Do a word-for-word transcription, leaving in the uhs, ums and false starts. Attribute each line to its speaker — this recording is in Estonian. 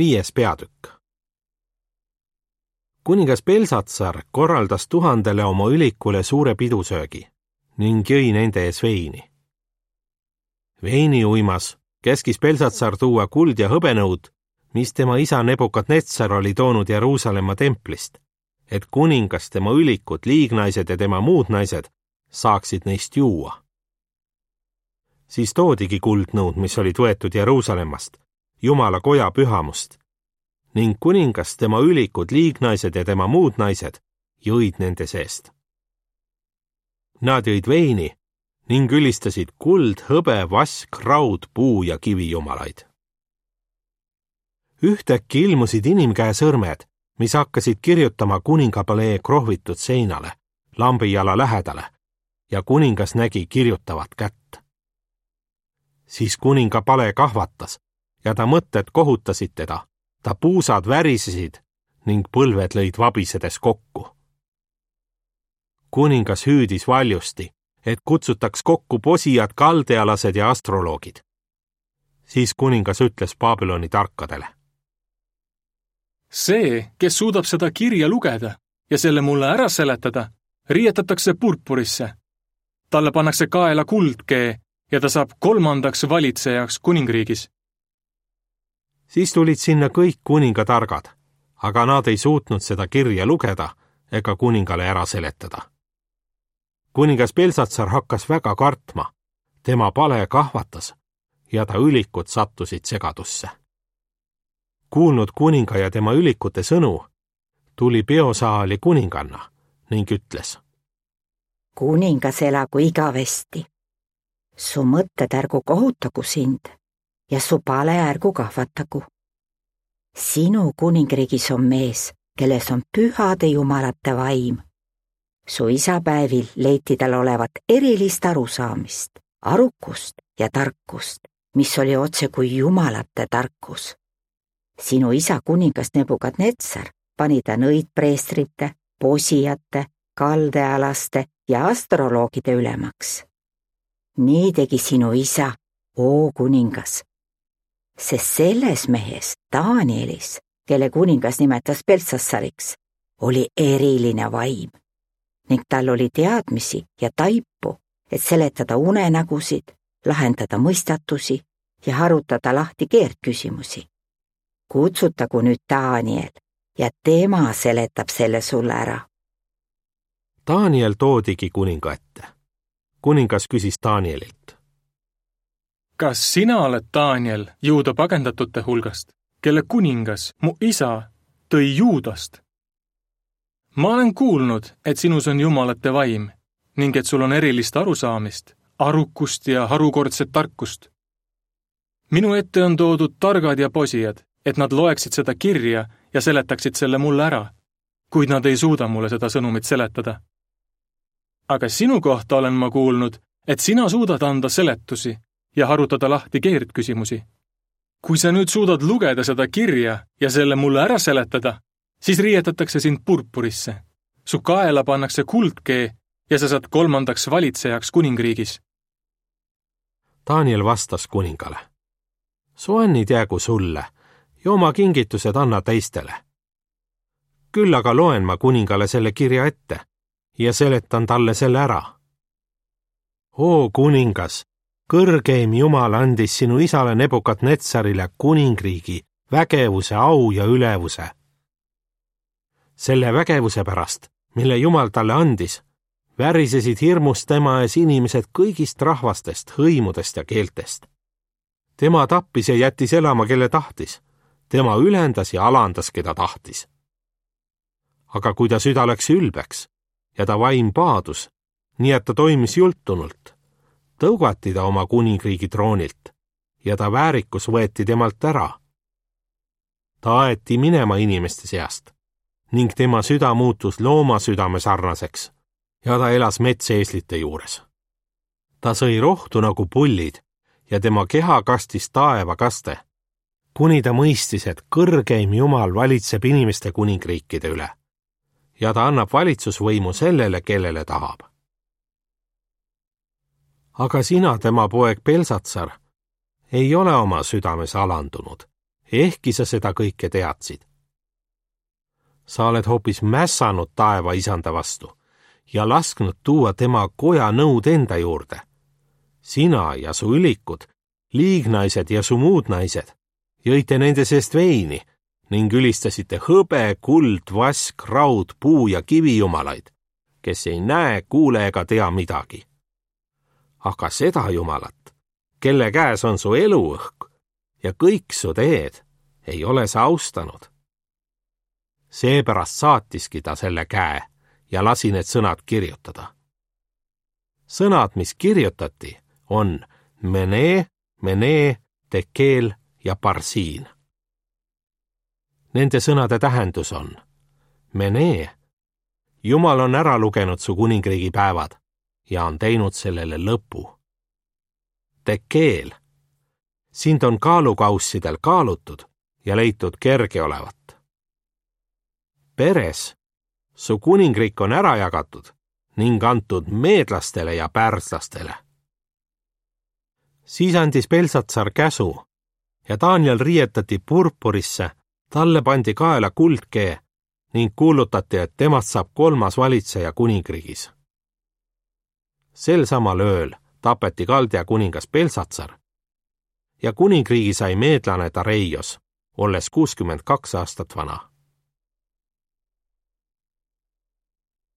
Speaker 1: Viies peatükk. Kuningas Belsatsar korraldas tuhandele oma ülikule suure pidusöögi ning jõi nende ees veini. Veini uimas käskis Belsatsar tuua kuld ja hõbenõud, mis tema isa Nebukadnetsar oli toonud Jeruusalemma templist, et kuningas, tema ülikud, liignaised ja tema muud naised saaksid neist juua. Siis toodigi kuldnõud, mis olid võetud Jeruusalemmast, Jumala koja pühamust, ning kuningas, tema ülikud, liignaised ja tema muud naised jõid nende seest. Nad jõid veini ning ülistasid kuld, hõbe, vask, raud, puu ja kivijumalaid. Ühtäkki ilmusid inimkäe sõrmed, mis hakkasid kirjutama kuningapalee krohvitud seinale, lambijala lähedale, ja kuningas nägi kirjutavat kätt. Siis kuningapale kahvatas ja ta mõtted kohutasid teda, ta puusad värisesid ning põlved lõid vabisedes kokku. Kuningas hüüdis valjusti, et kutsutaks kokku posijad, kaldealased ja astroloogid. Siis kuningas ütles Babyloni tarkadele.
Speaker 2: See, kes suudab seda kirja lugeda ja selle mulle ära seletada, riietatakse purpurisse. Talle pannakse kaela kuldkee ja ta saab kolmandaks valitsejaks kuningriigis.
Speaker 1: Siis tulid sinna kõik kuningatargad, aga nad ei suutnud seda kirja lugeda ega kuningale ära seletada. Kuningas Belsatsar hakkas väga kartma, tema pale kahvatas ja ta ülikud sattusid segadusse. Kuulnud kuninga ja tema ülikute sõnu, tuli peosaali kuninganna ning ütles.
Speaker 3: Kuningas elagu igavesti. Su mõtted ärgu kohutagu sind ja su pale ärgu kahvatagu. Sinu kuningriigis on mees, kelles on pühade jumalate vaim. Su isapäevil leiti tal olevat erilist arusaamist, arukust ja tarkust, mis oli otse kui jumalate tarkus. Sinu isa kuningas Nebukadnetsar pani ta nõidpreestrite, posijate, kaldealaste ja astroloogide ülemaks. Nii tegi sinu isa, oo kuningas, sest selles mehes, Danielis, kelle kuningas nimetas Belsatsariks, oli eriline vaim ning tal oli teadmisi ja taipu, et seletada unenägusid, lahendada mõistatusi ja harutada lahti keerdküsimusi. Kutsutagu nüüd Daniel ja tema seletab selle sulle ära.
Speaker 1: Daniel toodigi kuninga ette. Kuningas küsis Danielilt.
Speaker 2: Kas sina oled Daniel Juuda pagendatute hulgast, kelle kuningas, mu isa, tõi Juudast? Ma olen kuulnud, et sinus on jumalate vaim ning et sul on erilist arusaamist, arukust ja harukordset tarkust. Minu ette on toodud targad ja posijad, et nad loeksid seda kirja ja seletaksid selle mulle ära, kuid nad ei suuda mulle seda sõnumit seletada. Aga sinu kohta olen ma kuulnud, et sina suudad anda seletusi ja harutada lahti keerdküsimusi. Kui sa nüüd suudad lugeda seda kirja ja selle mulle ära seletada, siis riietatakse sind purpurisse. Su kaela pannakse kuldkee ja sa saad kolmandaks valitsejaks kuningriigis.
Speaker 1: Daniel vastas kuningale. Su annid jäägu sulle ja oma kingitused anna teistele. Küll aga loen ma kuningale selle kirja ette ja seletan talle selle ära. Oo kuningas, kõrgeim Jumal andis sinu isale Nebukadnetsarile kuningriigi, vägevuse, au ja ülevuse. Selle vägevuse pärast, mille Jumal talle andis, värisesid hirmust tema ees inimesed kõigist rahvastest, hõimudest ja keeltest. Tema tappis ja jättis elama, kelle tahtis. Tema ülendas ja alandas, keda tahtis. Aga kui ta süda läks ülbeks ja ta vaim paadus, nii et ta toimis jultunult, tõugati ta oma kuningriigi troonilt ja ta väärikus võeti temalt ära. Ta aeti minema inimeste seast ning tema süda muutus looma südame sarnaseks ja ta elas metseeslite juures. Ta sõi rohtu nagu pullid ja tema keha kastis taeva kaste, kuni ta mõistis, et kõrgeim Jumal valitseb inimeste kuningriikide üle ja ta annab valitsusvõimu sellele, kellele tahab. Aga sina, tema poeg Belsatsar, ei ole oma südames alandunud ehkki sa seda kõike teadsid. Sa oled hoopis mässanud taeva isanda vastu ja lasknud tuua tema koja nõud enda juurde. Sina ja su ülikud, liignaised ja su muud naised jõite nende seest veini ning ülistasite hõbe, kuld, vask, raud, puu ja kivijumalaid, kes ei näe, kuule ega tea midagi. Aga seda jumalat, kelle käes on su eluõhk ja kõik su teed, ei ole sa austanud. Seepärast saatiski ta selle käe ja lasi need sõnad kirjutada. Sõnad, mis kirjutati, on Mene, Mene, Tekeel ja Parsiin. Nende sõnade tähendus on Mene, Jumal on ära lugenud su kuningriigi päevad ja on teinud sellele lõpu. Tekeel, sind on kaalukaussidel kaalutud ja leitud kerge olevat. Peres, su kuningriik on ära jagatud ning antud meedlastele ja pärslastele. Siis andis Belsatsar käsu ja Daniel riietati purpurisse, talle pandi kaela kuldkee ning kuulutati, et temast saab kolmas valitseja kuningriigis. Sel samal ööl tapeti Kaldea kuningas Belsatsar ja kuningriigi sai meedlane Dareios, olles kuuskümmend kaks aastat vana.